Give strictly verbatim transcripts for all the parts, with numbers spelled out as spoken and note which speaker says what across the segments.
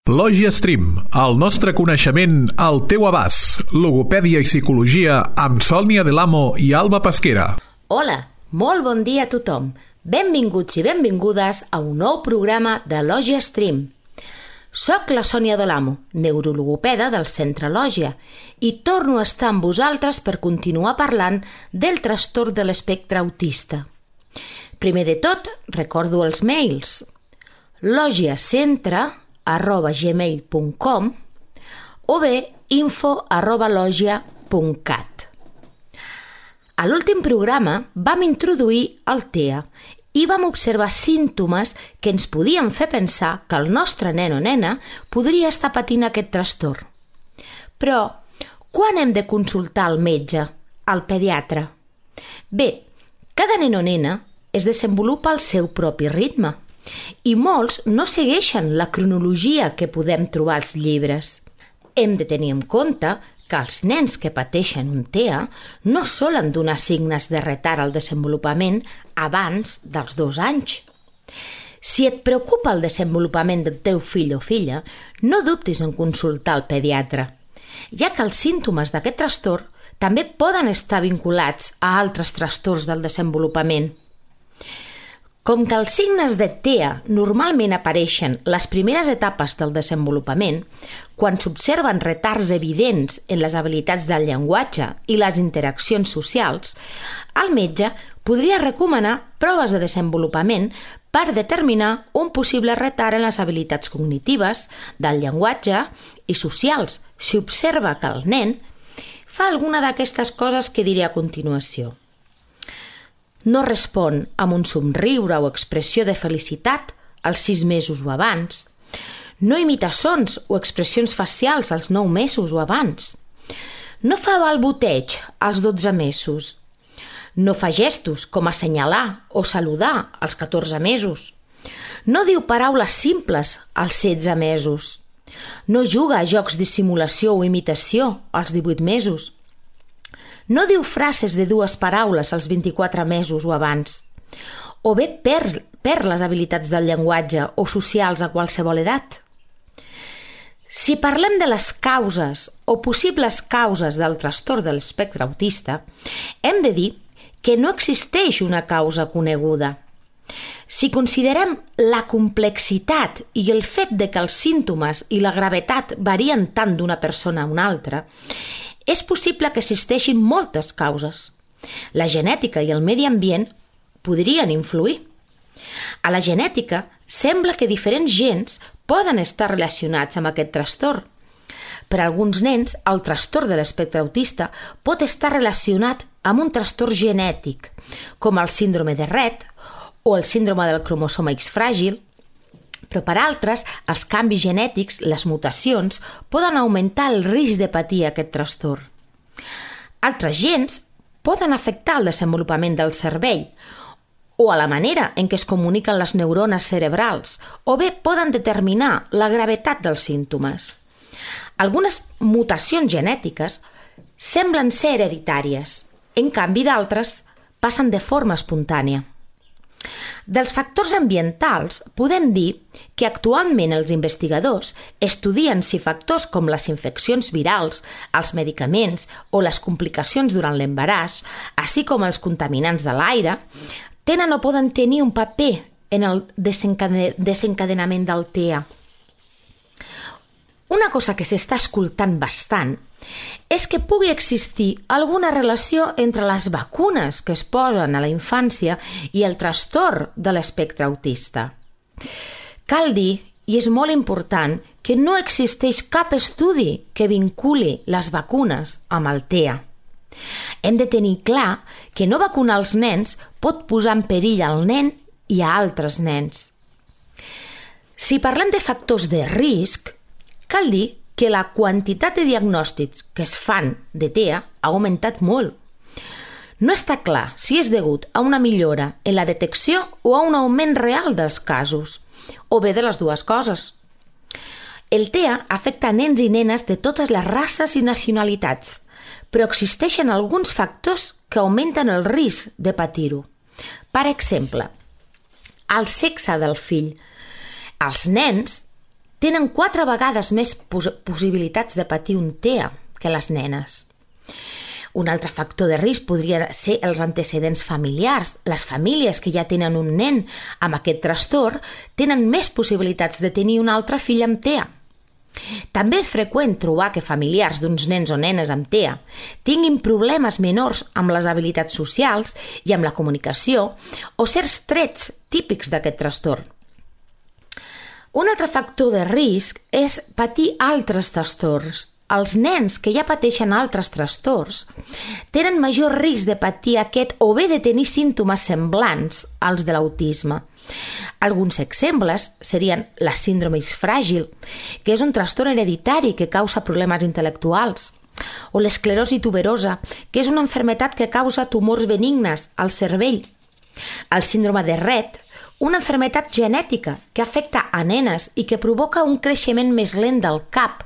Speaker 1: Lògia Stream, el nostre coneixement al teu abast. Logopèdia i psicologia amb Sònia Delamo i Alba Pesquera.
Speaker 2: Hola, molt bon dia a tothom. Benvinguts i benvingudes a un nou programa de Lògia Stream. Soc la Sònia Delamo, neurologopeda del Centre Lògia, i torno a estar amb vosaltres per continuar parlant del trastorn de l'espectre autista. Primer de tot, recordo els mails. logiacentre arroba gmail punt com o bé info arroba logia punt cat. A l'últim programa vam introduir el T E A i vam observar símptomes que ens podien fer pensar que el nostre nen o nena podria estar patint aquest trastorn. Però, quan hem de consultar el metge, el pediatre? Bé, cada nen o nena es desenvolupa al seu propi ritme i molts no segueixen la cronologia que podem trobar als llibres. Hem de tenir en compte que els nens que pateixen un T E A no solen donar signes de retard al desenvolupament abans dels dos anys. Si et preocupa el desenvolupament del teu fill o filla, no dubtis en consultar el pediatre, ja que els símptomes d'aquest trastorn també poden estar vinculats a altres trastorns del desenvolupament. Com que els signes de T E A normalment apareixen les primeres etapes del desenvolupament, quan s'observen retards evidents en les habilitats del llenguatge i les interaccions socials, el metge podria recomanar proves de desenvolupament per determinar un possible retard en les habilitats cognitives, del llenguatge i socials, si observa que el nen fa alguna d'aquestes coses que diré a continuació. No respon amb un somriure o expressió de felicitat als sis mesos o abans. No imita sons o expressions facials als nou mesos o abans. No fa balbuteig als dotze mesos. No fa gestos com assenyalar o saludar als catorze mesos. No diu paraules simples als setze mesos. No juga a jocs de simulació o imitació als divuit mesos. No diu frases de dues paraules als vint-i-quatre mesos o abans. O bé perd, perd les habilitats del llenguatge o socials a qualsevol edat. Si parlem de les causes o possibles causes del trastorn de l'espectre autista, hem de dir que no existeix una causa coneguda. Si considerem la complexitat i el fet de que els símptomes i la gravetat varien tant d'una persona a una altra, és possible que existeixin moltes causes. La genètica i el medi ambient podrien influir. A la genètica sembla que diferents gens poden estar relacionats amb aquest trastorn. Per a alguns nens, el trastorn de l'espectre autista pot estar relacionat amb un trastorn genètic, com el síndrome de Rett o el síndrome del cromosoma X fràgil, però per altres, els canvis genètics, les mutacions, poden augmentar el risc de patir aquest trastorn. Altres gens poden afectar el desenvolupament del cervell o a la manera en què es comuniquen les neurones cerebrals, o bé poden determinar la gravetat dels símptomes. Algunes mutacions genètiques semblen ser hereditàries, en canvi d'altres passen de forma espontània. Dels factors ambientals podem dir que actualment els investigadors estudien si factors com les infeccions virals, els medicaments o les complicacions durant l'embaràs, així com els contaminants de l'aire, tenen o poden tenir un paper en el desencadenament del T E A. Una cosa que s'està escoltant bastant és que pugui existir alguna relació entre les vacunes que es posen a la infància i el trastorn de l'espectre autista. Cal dir, i és molt important, que no existeix cap estudi que vinculi les vacunes amb el T E A. Hem de tenir clar que no vacunar els nens pot posar en perill al nen i a altres nens. Si parlem de factors de risc, cal dir que la quantitat de diagnòstics que es fan de T E A ha augmentat molt. No està clar si és degut a una millora en la detecció o a un augment real dels casos, o bé de les dues coses. El T E A afecta nens i nenes de totes les races i nacionalitats, però existeixen alguns factors que augmenten el risc de patir-ho. Per exemple, el sexe del fill. Els nens tenen quatre vegades més pos- possibilitats de patir un T E A que les nenes. Un altre factor de risc podria ser els antecedents familiars. Les famílies que ja tenen un nen amb aquest trastorn tenen més possibilitats de tenir un altre fill amb T E A. També és freqüent trobar que familiars d'uns nens o nenes amb T E A tinguin problemes menors amb les habilitats socials i amb la comunicació o certs trets típics d'aquest trastorn. Un altre factor de risc és patir altres trastorns. Els nens que ja pateixen altres trastorns tenen major risc de patir aquest o bé de tenir símptomes semblants als de l'autisme. Alguns exemples serien la síndrome fràgil, que és un trastorn hereditari que causa problemes intel·lectuals, o l'esclerosi tuberosa, que és una malaltia que causa tumors benignes al cervell, el síndrome de Rett, una malaltia genètica que afecta a nenes i que provoca un creixement més lent del cap,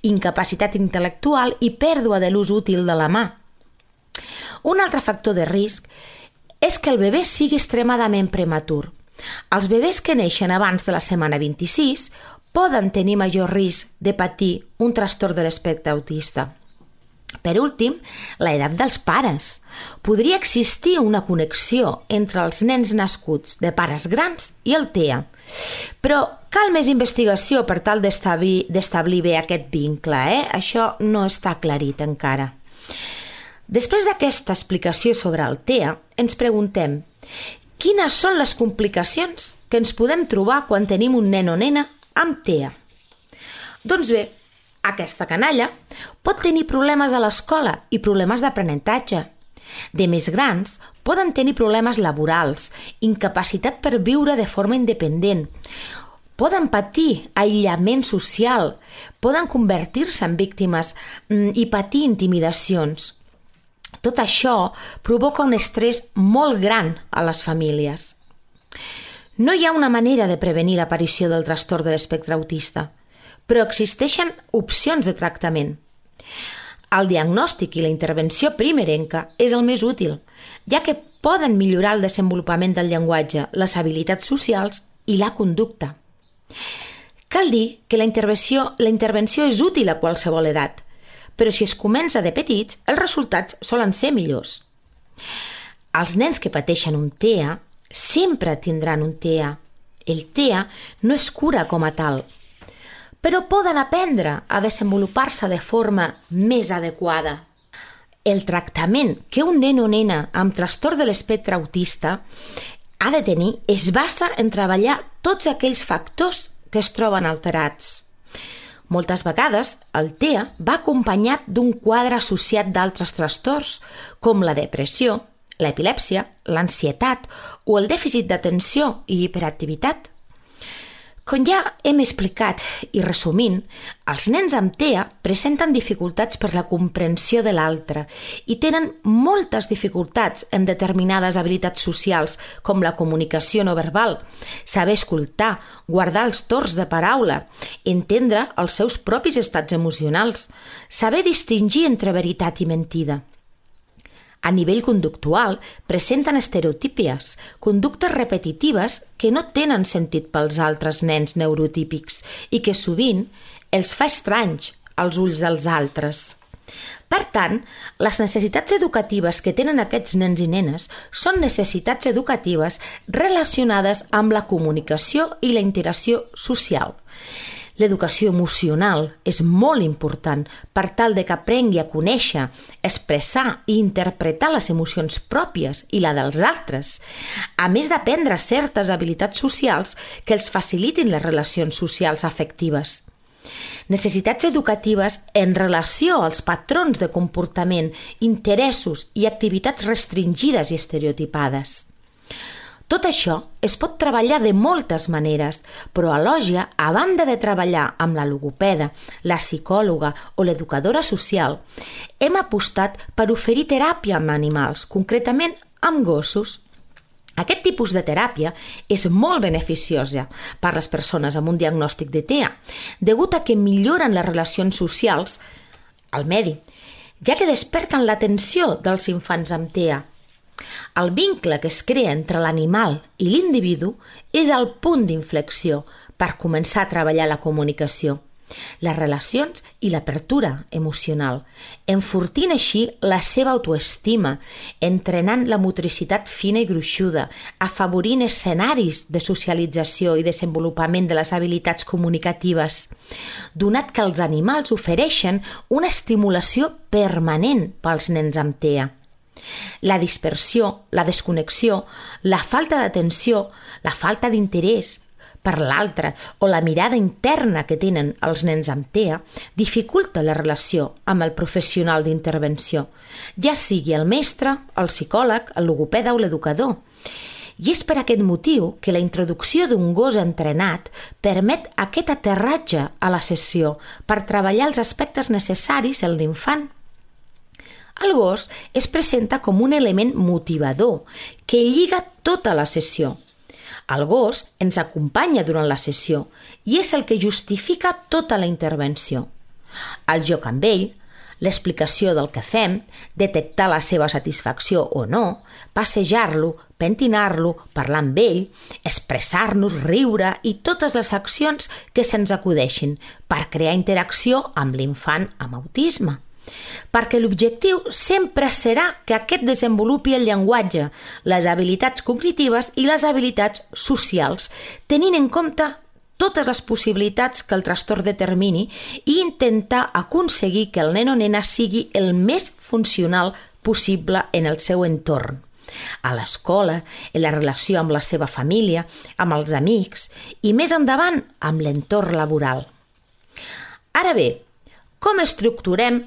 Speaker 2: incapacitat intel·lectual i pèrdua de l'ús útil de la mà. Un altre factor de risc és que el bebè sigui extremadament prematur. Els bebès que neixen abans de la setmana vint-i-sis poden tenir major risc de patir un trastorn de l'espectre autista. Per últim, l'edat dels pares. Podria existir una connexió entre els nens nascuts de pares grans i el T E A, però cal més investigació per tal d'establir, d'establir bé aquest vincle, eh? Això no està aclarit encara. Després d'aquesta explicació sobre el T E A, ens preguntem quines són les complicacions que ens podem trobar quan tenim un nen o nena amb T E A. Doncs bé, aquesta canalla pot tenir problemes a l'escola i problemes d'aprenentatge. De més grans, poden tenir problemes laborals, incapacitat per viure de forma independent, poden patir aïllament social, poden convertir-se en víctimes i patir intimidacions. Tot això provoca un estrès molt gran a les famílies. No hi ha una manera de prevenir l'aparició del trastorn de l'espectre autista, però existeixen opcions de tractament. El diagnòstic i la intervenció primerenca és el més útil, ja que poden millorar el desenvolupament del llenguatge, les habilitats socials i la conducta. Cal dir que la intervenció, la intervenció és útil a qualsevol edat, però si es comença de petits, els resultats solen ser millors. Els nens que pateixen un T E A sempre tindran un T E A. El T E A no es cura com a tal, però poden aprendre a desenvolupar-se de forma més adequada. El tractament que un nen o nena amb trastorn de l'espectre autista ha de tenir es basa en treballar tots aquells factors que es troben alterats. Moltes vegades el T E A va acompanyat d'un quadre associat d'altres trastorns, com la depressió, l'epilèpsia, l'ansietat o el dèficit d'atenció i hiperactivitat. Com ja hem explicat i resumint, els nens amb T E A presenten dificultats per la comprensió de l'altre i tenen moltes dificultats en determinades habilitats socials com la comunicació no verbal, saber escoltar, guardar els torns de paraula, entendre els seus propis estats emocionals, saber distingir entre veritat i mentida. A nivell conductual, presenten estereotípies, conductes repetitives que no tenen sentit pels altres nens neurotípics i que sovint els fa estranys als ulls dels altres. Per tant, les necessitats educatives que tenen aquests nens i nenes són necessitats educatives relacionades amb la comunicació i la interacció social. L'educació emocional és molt important per tal de que aprengui a conèixer, expressar i interpretar les emocions pròpies i la dels altres, a més d'aprendre certes habilitats socials que els facilitin les relacions socials afectives. Necessitats educatives en relació als patrons de comportament, interessos i activitats restringides i estereotipades. Tot això es pot treballar de moltes maneres, però a Lògia, a banda de treballar amb la logopeda, la psicòloga o l'educadora social, hem apostat per oferir teràpia amb animals, concretament amb gossos. Aquest tipus de teràpia és molt beneficiosa per a les persones amb un diagnòstic de T E A, degut a que milloren les relacions socials al medi, ja que desperten l'atenció dels infants amb T E A. El vincle que es crea entre l'animal i l'individu és el punt d'inflexió per començar a treballar la comunicació, les relacions i l'apertura emocional, enfortint així la seva autoestima, entrenant la motricitat fina i gruixuda, afavorint escenaris de socialització i desenvolupament de les habilitats comunicatives, donat que els animals ofereixen una estimulació permanent pels nens amb T E A. La dispersió, la desconnexió, la falta d'atenció, la falta d'interès per l'altre o la mirada interna que tenen els nens amb T E A dificulta la relació amb el professional d'intervenció, ja sigui el mestre, el psicòleg, el logopeda o l'educador. I és per aquest motiu que la introducció d'un gos entrenat permet aquest aterratge a la sessió per treballar els aspectes necessaris en l'infant. El gos es presenta com un element motivador que lliga tota la sessió. El gos ens acompanya durant la sessió i és el que justifica tota la intervenció. El joc amb ell, l'explicació del que fem, detectar la seva satisfacció o no, passejar-lo, pentinar-lo, parlar amb ell, expressar-nos, riure i totes les accions que se'ns acudeixin per crear interacció amb l'infant amb autisme. Perquè l'objectiu sempre serà que aquest desenvolupi el llenguatge, les habilitats cognitives i les habilitats socials, tenint en compte totes les possibilitats que el trastorn determini i intentar aconseguir que el nen o nena sigui el més funcional possible en el seu entorn. A l'escola, en la relació amb la seva família, amb els amics i més endavant amb l'entorn laboral. Ara bé, com estructurem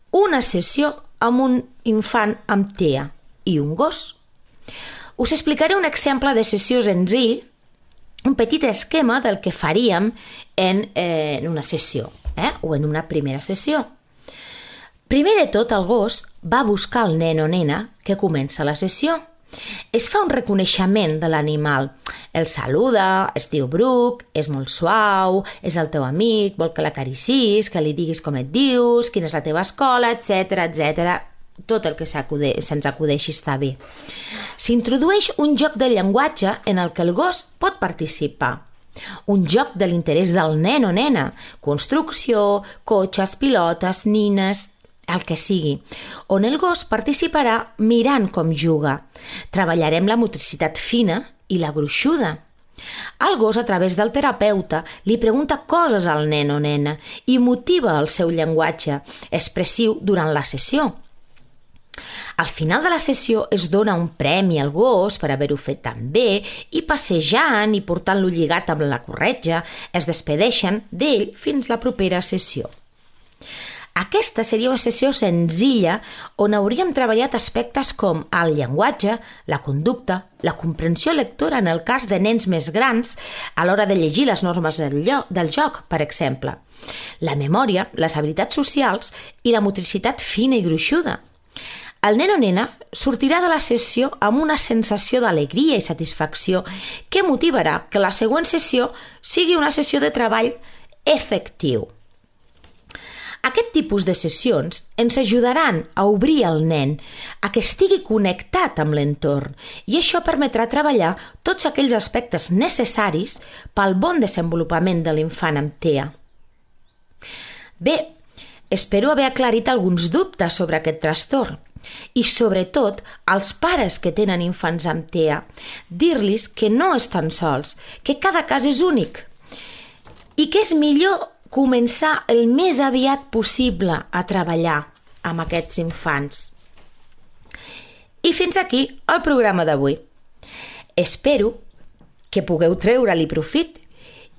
Speaker 2: una sessió amb un infant amb T E A i un gos? Us explicaré un exemple de sessió senzill, un petit esquema del que faríem en, eh, en una sessió eh, o en una primera sessió. Primer de tot, el gos va buscar el nen o nena que comença la sessió. Es fa un reconeixement de l'animal. El saluda, es diu Bruc, és molt suau, és el teu amic, vol que l'acaricis, que li diguis com et dius, quina és la teva escola, etcètera, etcètera. Tot el que se'ns acudeixi està bé. S'introdueix un joc de llenguatge en el que el gos pot participar. Un joc de l'interès del nen o nena, construcció, cotxes, pilotes, nines, el que sigui, on el gos participarà mirant com juga. Treballarem la motricitat fina i la gruixuda. El gos, a través del terapeuta, li pregunta coses al nen o nena i motiva el seu llenguatge expressiu durant la sessió. Al final de la sessió es dona un premi al gos per haver-ho fet tan bé i passejant i portant-lo lligat amb la corretja es despedeixen d'ell fins la propera sessió. Aquesta seria una sessió senzilla on hauríem treballat aspectes com el llenguatge, la conducta, la comprensió lectora en el cas de nens més grans a l'hora de llegir les normes del, del joc, per exemple, la memòria, les habilitats socials i la motricitat fina i gruixuda. El nen o nena sortirà de la sessió amb una sensació d'alegria i satisfacció que motivarà que la següent sessió sigui una sessió de treball efectiu. Aquest tipus de sessions ens ajudaran a obrir el nen, a que estigui connectat amb l'entorn i això permetrà treballar tots aquells aspectes necessaris pel bon desenvolupament de l'infant amb T E A. Bé, espero haver aclarit alguns dubtes sobre aquest trastorn i, sobretot, als pares que tenen infants amb T E A, dir-los que no estan sols, que cada cas és únic i que és millor començar el més aviat possible a treballar amb aquests infants. I fins aquí el programa d'avui. Espero que pugueu treure-li profit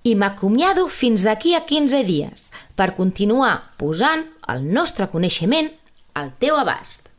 Speaker 2: i m'acomiado fins d'aquí a quinze dies per continuar posant el nostre coneixement al teu abast.